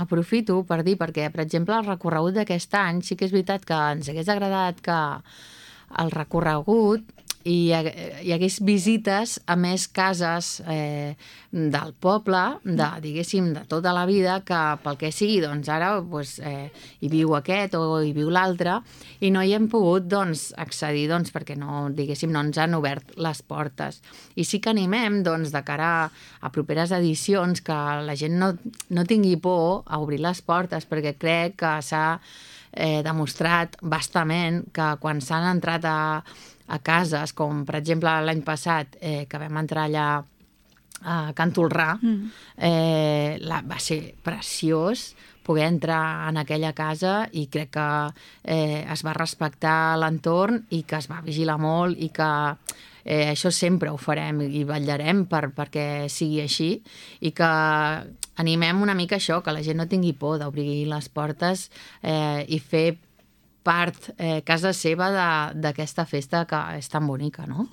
aprofito per dir, perquè, per exemple, el recorregut d'aquest any sí que és veritat que ens hagués agradat que el recorregut hi hagués visites a més cases del poble, diguéssim, de tota la vida, que pel que sigui, doncs ara hi viu aquest o hi viu l'altre, i no hi hem pogut accedir, perquè no, diguéssim, no ens han obert les portes. I sí que animem, de cara a properes edicions, que la gent no tingui por a obrir les portes, perquè crec que s'ha demostrat bastament que quan s'han entrat a cases, com per exemple l'any passat, que vam entrar allà a Can Tolrà, va ser preciós poder entrar en aquella casa, i crec que es va respectar l'entorn i que es va vigilar molt, i que això sempre ho farem i vetllarem perquè sigui així, i que animem una mica això, que la gent no tingui por d'obrir les portes i fer part casa seva d'aquesta festa que és tan bonica, no?